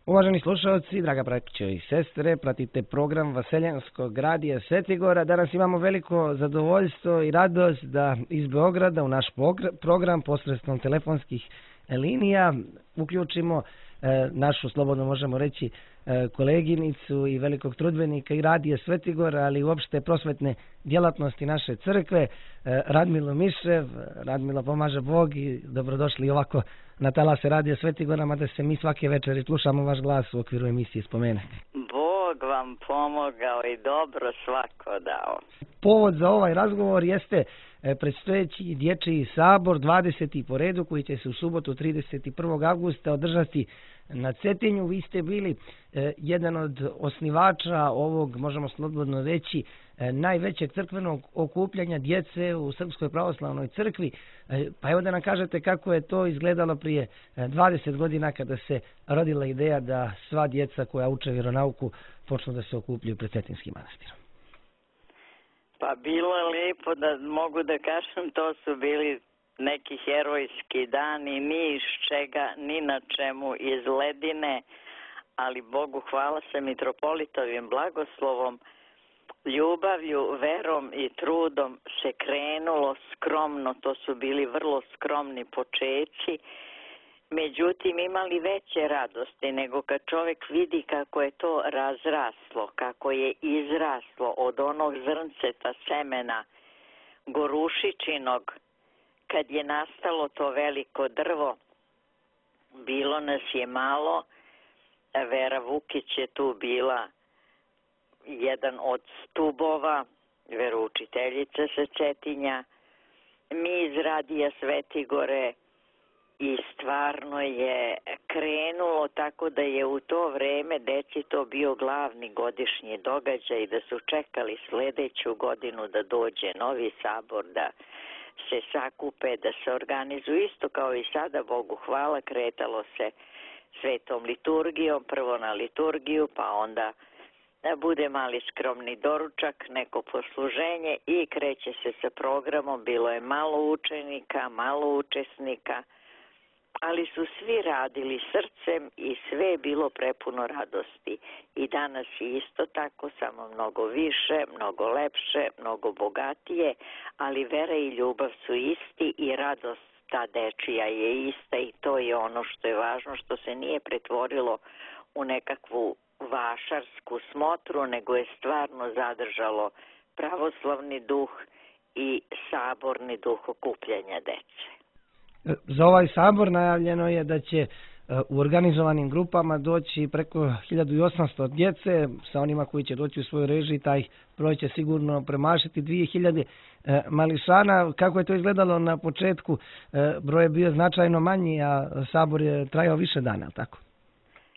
Uvaženi slušalci, draga braćo i sestre, pratite program Vaseljanskog radija Svetigora. Danas imamo veliko zadovoljstvo i radost da iz Beograda u naš program posredstvom telefonskih linija uključimo našu, slobodno možemo reći, koleginicu i velikog trudbenika i radija Svetigora, ali i uopšte prosvetne djelatnosti naše crkve, Radmilu Mišev. Radmila, pomaže Bog i dobrodošli ovako na talase radija Svetigora, mada se mi svake večeri slušamo vaš glas u okviru emisije Spomene. Bog vam pomogao i dobro svako dao. Povod za ovaj razgovor jeste predstojeći dječji sabor, 20. po redu, koji će se u subotu 31. avgusta održati na Cetinju. Vi ste bili jedan od osnivača ovog, možemo slobodno reći, najvećeg crkvenog okupljanja djece u Srpskoj pravoslavnoj crkvi. Pa evo da nam kažete kako je to izgledalo prije 20 godina kada se rodila ideja da sva djeca koja uče vjeronauku počnu da se okupljaju pred Cetinskim manastirom. Pa bilo je lijepo da mogu da kažem, to su bili neki herojski dani, ni iz čega, ni na čemu, iz ledine, ali Bogu hvala se mitropolitovim blagoslovom, ljubavlju, verom i trudom se krenulo skromno, to su bili vrlo skromni počeci, međutim imali veće radosti nego kad čovjek vidi kako je to razraslo, kako je izraslo od onog zrnceta semena gorušičinog, kad je nastalo to veliko drvo. Bilo nas je malo, Vera Vukić je tu bila jedan od stubova, veroučiteljica sa Cetinja, mi iz radija Svetigore, i stvarno je krenulo tako da je u to vreme deci to bio glavni godišnji događaj, da su čekali sljedeću godinu da dođe novi sabor, da se sakupe, da se organizuju isto kao i sada, Bogu hvala, kretalo se svetom liturgijom, prvo na liturgiju, pa onda da bude mali skromni doručak, neko posluženje i kreće se sa programom. Bilo je malo učenika, malo učesnika, ali su svi radili srcem i sve je bilo prepuno radosti. I danas je isto tako, samo mnogo više, mnogo lepše, mnogo bogatije, ali vera i ljubav su isti i radost ta dečija je ista i to je ono što je važno, što se nije pretvorilo u nekakvu vašarsku smotru, nego je stvarno zadržalo pravoslavni duh i saborni duh okupljanja dece. Za ovaj sabor najavljeno je da će u organizovanim grupama doći preko 1800 djece, sa onima koji će doći u svojoj režiji, taj broj će sigurno premašiti 2000 mališana. Kako je to izgledalo na početku? Broj je bio značajno manji, a sabor je trajao više dana, tako?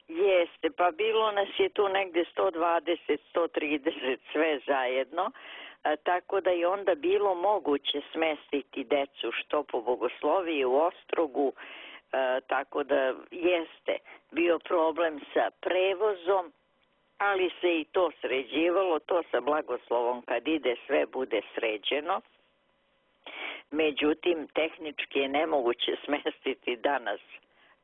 Jeste, pa bilo nas je tu negdje 120, 130 sve zajedno, tako da je onda bilo moguće smestiti decu što po bogosloviji u Ostrogu, tako da jeste bio problem sa prevozom, ali se i to sređivalo, to sa blagoslovom kad ide sve bude sređeno. Međutim, tehnički je nemoguće smestiti danas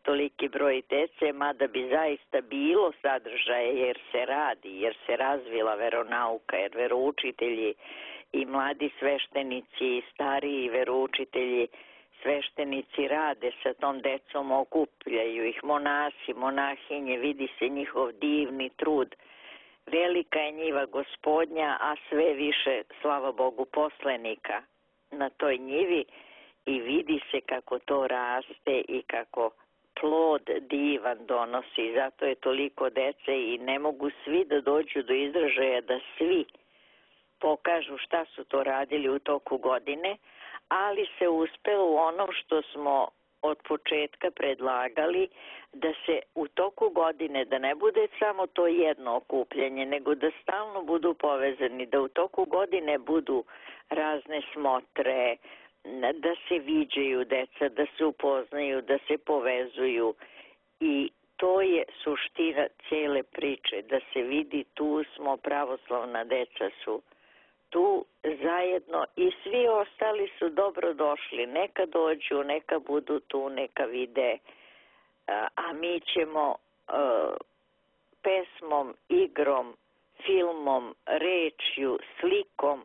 toliki broj dece, mada bi zaista bilo sadržaje jer se radi, jer se razvila veronauka, jer veroučitelji i mladi sveštenici i stariji veroučitelji sveštenici rade sa tom decom, okupljaju ih monasi, monahinje, vidi se njihov divni trud. Velika je njiva Gospodnja, a sve više, slava Bogu, poslenika na toj njivi i vidi se kako to raste i kako plod divan donosi. Zato je toliko dece i ne mogu svi da dođu do izražaja da svi pokažu šta su to radili u toku godine, ali se uspelo u ono što smo od početka predlagali, da se u toku godine, da ne bude samo to jedno okupljanje, nego da stalno budu povezani, da u toku godine budu razne smotre, da se viđaju deca, da se upoznaju, da se povezuju i to je suština cijele priče, da se vidi tu smo, pravoslavna deca su tu zajedno i svi ostali su dobro došli, neka dođu, neka budu tu, neka vide, a mi ćemo pesmom, igrom, filmom, rečju, slikom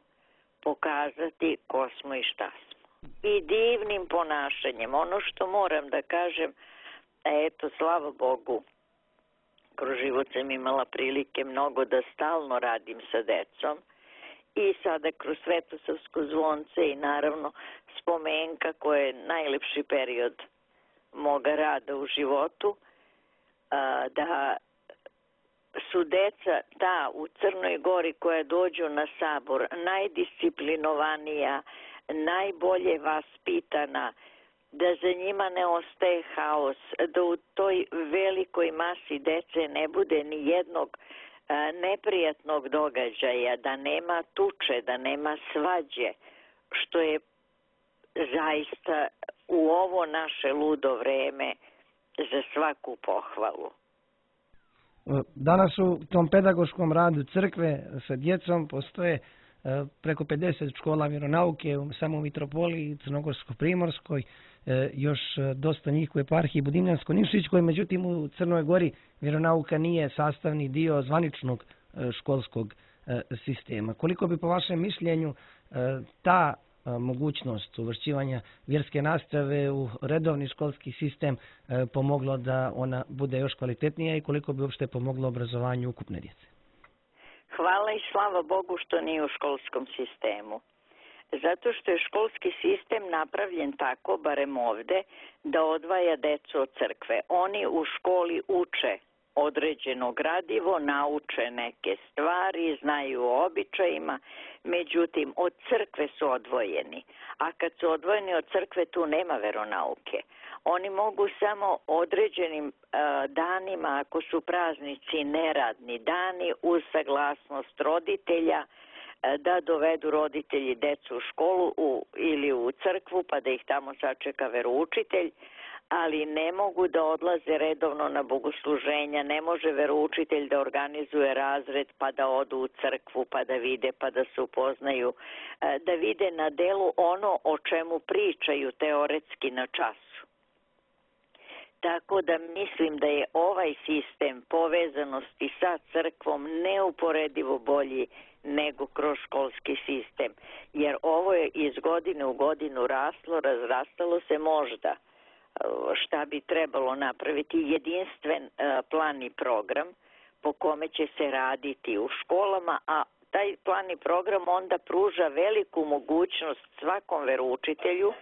pokazati ko smo i šta smo. I divnim ponašanjem. Ono što moram da kažem, eto, slava Bogu, kroz život sam imala prilike mnogo da stalno radim sa decom i sada kroz Svetosavsko zvonce i naravno spomenka koja je najlepši period moga rada u životu, da su deca ta u Crnoj Gori koja dođu na sabor najdisciplinovanija, najbolje vaspitana, da za njima ne ostaje haos, da u toj velikoj masi dece ne bude ni jednog neprijatnog događaja, da nema tuče, da nema svađe, što je zaista u ovo naše ludo vreme za svaku pohvalu. Danas u tom pedagoškom radu crkve sa djecom postoje preko 50 škola vjeronauke samo u Mitropoliji, Crnogorsko-Primorskoj, još dosta njih u eparhiji Budimljansko-Nikšićkoj, međutim u Crnoj Gori vjeronauka nije sastavni dio zvaničnog školskog sistema. Koliko bi po vašem mišljenju ta mogućnost uvršćivanja vjerske nastave u redovni školski sistem pomoglo da ona bude još kvalitetnija i koliko bi uopšte pomoglo obrazovanju ukupne djece? Hvala i slava Bogu što nije u školskom sistemu. Zato što je školski sistem napravljen tako, barem ovde, da odvaja decu od crkve. Oni u školi uče određeno gradivo, nauče neke stvari, znaju o običajima, međutim od crkve su odvojeni. A kad su odvojeni od crkve tu nema veronauke. Oni mogu samo određenim danima, ako su praznici neradni dani, uz saglasnost roditelja, da dovedu roditelji decu u školu ili u crkvu pa da ih tamo sačeka veroučitelj, ali ne mogu da odlaze redovno na bogosluženja, ne može veroučitelj da organizuje razred pa da odu u crkvu pa da vide pa da se upoznaju, da vide na delu ono o čemu pričaju teoretski na času. Tako da mislim da je ovaj sistem povezanosti sa crkvom neuporedivo bolji nego kroz školski sistem. Jer ovo je iz godine u godinu raslo, razrastalo se možda. Šta bi trebalo napraviti? Jedinstven plan i program po kome će se raditi u školama, a taj plan i program onda pruža veliku mogućnost svakom veroučitelju,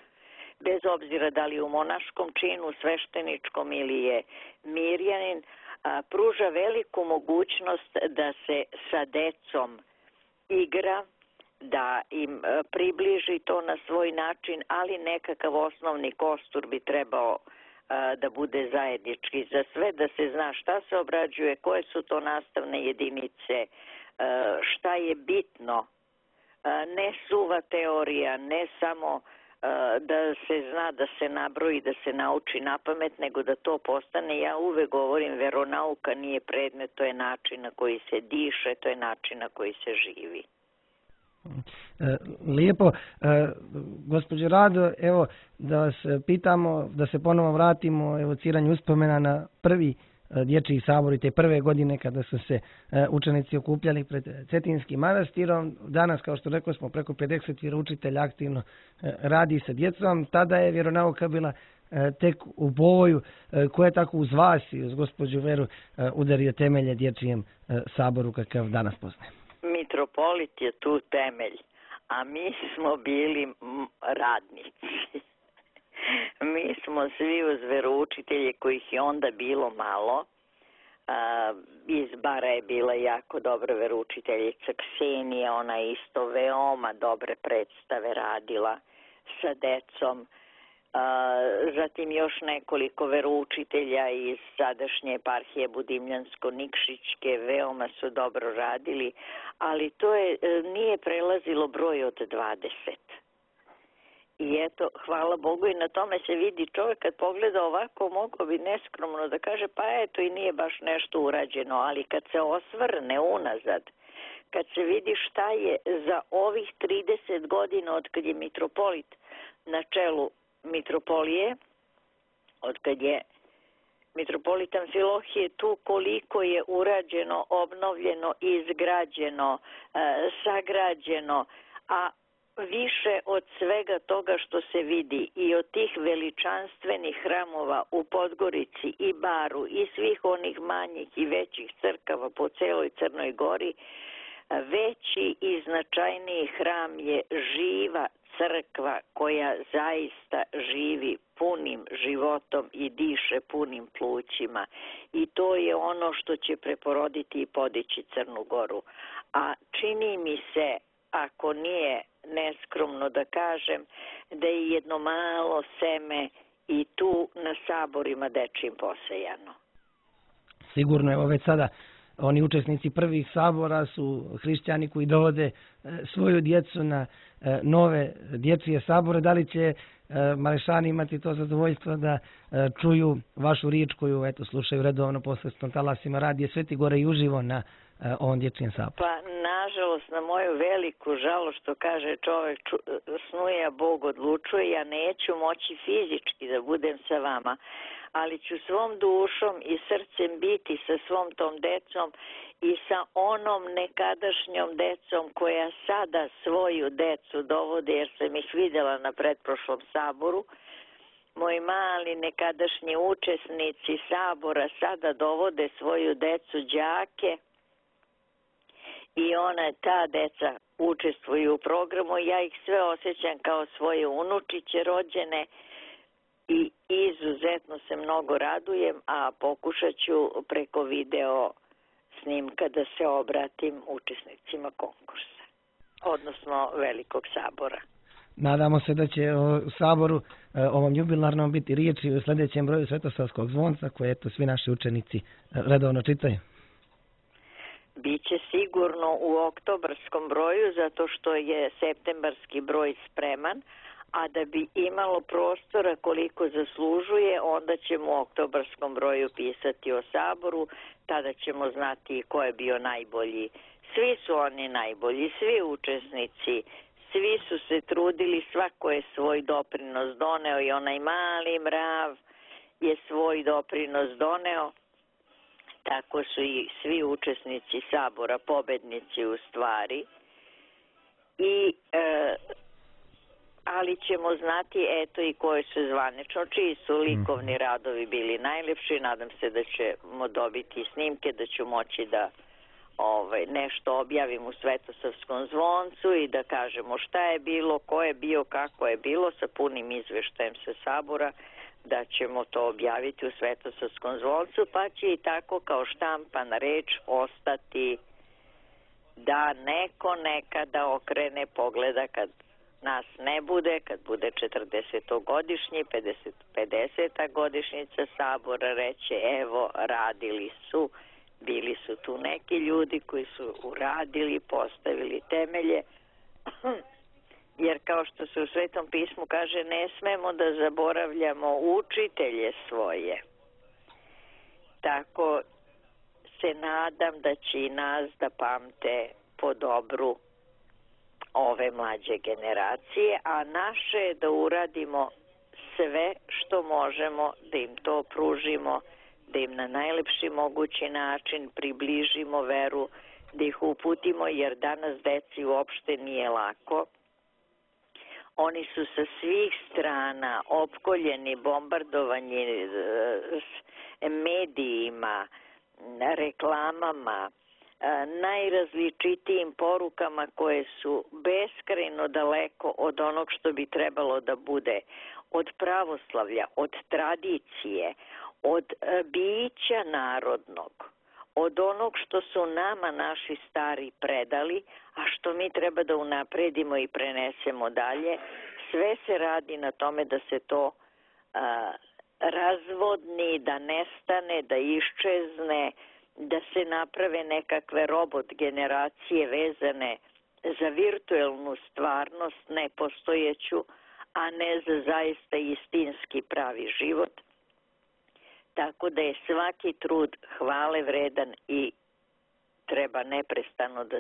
bez obzira da li je u monaškom činu, svešteničkom ili je mirjanin, pruža veliku mogućnost da se sa decom igra, da im približi to na svoj način, ali nekakav osnovni kostur bi trebao da bude zajednički za sve, da se zna šta se obrađuje, koje su to nastavne jedinice, šta je bitno, ne suva teorija, ne samo da se zna, da se nabroji, da se nauči na pamet, nego da to postane, ja uvek govorim, veronauka nije predmet, to je način na koji se diše, to je način na koji se živi. Lijepo. Gospođo Rado, evo da vas pitamo, da se ponovo vratimo evociranju uspomena na prvi dječji sabor i te prve godine kada su se učenici okupljali pred Cetinskim manastirom. Danas, kao što rekao smo, preko 50 vjeroučitelja aktivno radi sa djecom. Tada je vjeronauka bila tek u boju. Ko je tako uz vas i uz gospođu Veru udario temelje dječjem saboru kakav danas poznaje? Mitropolit je tu temelj, a mi smo bili radnici. Mi smo svi uz veroučitelje kojih je onda bilo malo. Iz Bara je bila jako dobra veroučiteljica Ksenija, ona je isto veoma dobre predstave radila sa decom. Zatim još nekoliko veroučitelja iz sadašnje eparhije Budimljansko-Nikšićke veoma su dobro radili, ali to nije prelazilo broj od 20. I eto, hvala Bogu, i na tome se vidi, čovjek kad pogleda ovako mogao bi neskromno da kaže pa eto i nije baš nešto urađeno, ali kad se osvrne unazad, kad se vidi šta je za ovih 30 godina od kad je mitropolit na čelu mitropolije, od kad je Mitropolit Amfilohije tu koliko je urađeno, obnovljeno, izgrađeno, sagrađeno, a više od svega toga što se vidi i od tih veličanstvenih hramova u Podgorici i Baru i svih onih manjih i većih crkava po celoj Crnoj Gori, veći i značajniji hram je živa crkva koja zaista živi punim životom i diše punim plućima. I to je ono što će preporoditi i podići Crnu Goru. A čini mi se, ako nije neskromno da kažem, da je jedno malo seme i tu na saborima dečijim posejano. Sigurno, evo već sada oni učesnici prvih sabora su hrišćani koji dovode svoju djecu na nove dječje sabore. Da li će Malešani imati to zadovoljstvo da čuju vašu riječ koju slušaju redovno posredstvom talasima radije Sveti Gore i uživo na ovom dječjem saboru? Pa, nažalost, na moju veliku žalost, što kaže čovjek, snuje, a Bog odlučuje, ja neću moći fizički da budem sa vama, ali ću svom dušom i srcem biti sa svom tom decom i sa onom nekadašnjom decom koja sada svoju decu dovode, jer sam ih vidjela na pretprošlom saboru. Moji mali nekadašnji učesnici sabora sada dovode svoju decu đake i ta deca učestvuju u programu. Ja ih sve osjećam kao svoje unučiće rođene i izuzetno se mnogo radujem, a pokušat ću preko video snimka da se obratim učesnicima konkursa, odnosno Velikog sabora. Nadamo se da će u saboru ovom jubilarnom biti riječi u sljedećem broju Svetosavskog zvonca koje svi naši učenici redovno čitaju. Biće sigurno u oktobarskom broju, zato što je septembarski broj spreman, a da bi imalo prostora koliko zaslužuje, onda ćemo u oktobarskom broju pisati o saboru, tada ćemo znati ko je bio najbolji. Svi su oni najbolji, svi učesnici, svi su se trudili, svako je svoj doprinos doneo i onaj mali mrav je svoj doprinos doneo. Tako su i svi učesnici sabora, pobednici u stvari. Ali ćemo znati i koje su zvanično, čiji su likovni radovi bili najlepši. Nadam se da ćemo dobiti snimke, da ću moći da nešto objavim u Svetosavskom zvoncu i da kažemo šta je bilo, ko je bio, kako je bilo, sa punim izveštajem sa sabora, da ćemo to objaviti u Svetosavskom zvoncu, pa će i tako kao štampana reč ostati da neko nekada okrene pogleda kad nas ne bude, kad bude 40-godišnji, 50. godišnjica sabora, reće evo radili su, bili su tu neki ljudi koji su uradili, postavili temelje, jer kao što se u Svetom pismu kaže, ne smemo da zaboravljamo učitelje svoje. Tako se nadam da će i nas da pamte po dobru ove mlađe generacije, a naše je da uradimo sve što možemo, da im to pružimo, da im na najlepši mogući način približimo veru, da ih uputimo, jer danas deci uopšte nije lako. Oni su sa svih strana opkoljeni, bombardovani medijima, reklamama, najrazličitijim porukama koje su beskrajno daleko od onog što bi trebalo da bude, od pravoslavlja, od tradicije, od bića narodnog, od onog što su nama naši stari predali, a što mi treba da unapredimo i prenesemo dalje. Sve se radi na tome da se to razvodni, da nestane, da iščezne, da se naprave nekakve robot generacije vezane za virtuelnu stvarnost, nepostojeću, a ne za zaista istinski pravi život. Tako da je svaki trud hvale vredan i treba neprestano da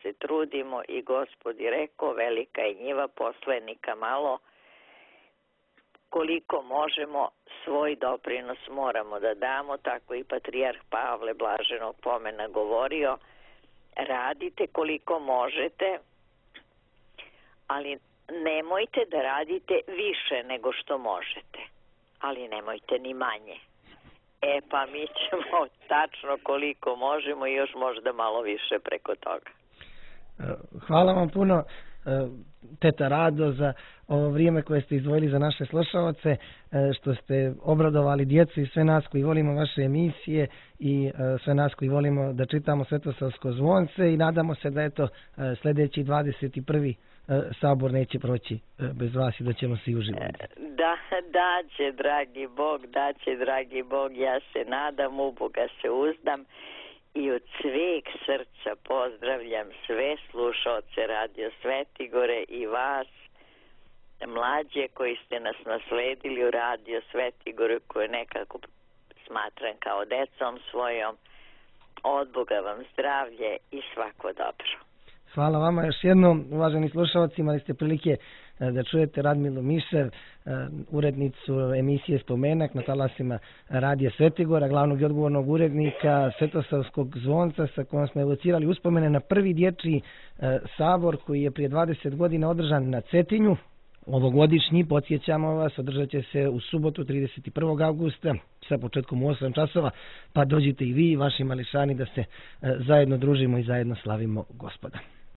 se trudimo i Gospod je rekao, velika je njiva, poslenika malo. koliko možemo, svoj doprinos moramo da damo, tako i patrijarh Pavle blaženog pomena govorio, radite koliko možete, ali nemojte da radite više nego što možete, ali nemojte ni manje. Pa mi ćemo tačno koliko možemo i još možda malo više preko toga. Hvala vam puno, teta Rado, za ovo vrijeme koje ste izdvojili za naše slušalce, što ste obradovali djecu i sve nas koji volimo vaše emisije i sve nas koji volimo da čitamo Svetosavsko zvonce i nadamo se da sljedeći 21. sabor neće proći bez vas i da ćemo se uživati. Daće, dragi Bog, ja se nadam, u Boga se uzdam i od sveg srca pozdravljam sve slušaoce Radio Svetigore i vas, mlađe koji ste nas nasledili u Radio Svetigore, koje nekako smatram kao decom svojom. Od Boga vam zdravlje i svako dobro. Hvala vama još jednom, uvaženi slušalci, imali ste prilike da čujete Radmilu Mišev, urednicu emisije Spomenak na talasima Radija Svetigora, glavnog i odgovornog urednika Svetosavskog zvonca, sa kojom smo evocirali uspomene na prvi dječji sabor koji je prije 20 godina održan na Cetinju. Ovogodišnji, podsjećamo vas, održat će se u subotu 31. augusta sa početkom u 8 časova, pa dođite i vi i vaši mališani da se zajedno družimo i zajedno slavimo Gospoda.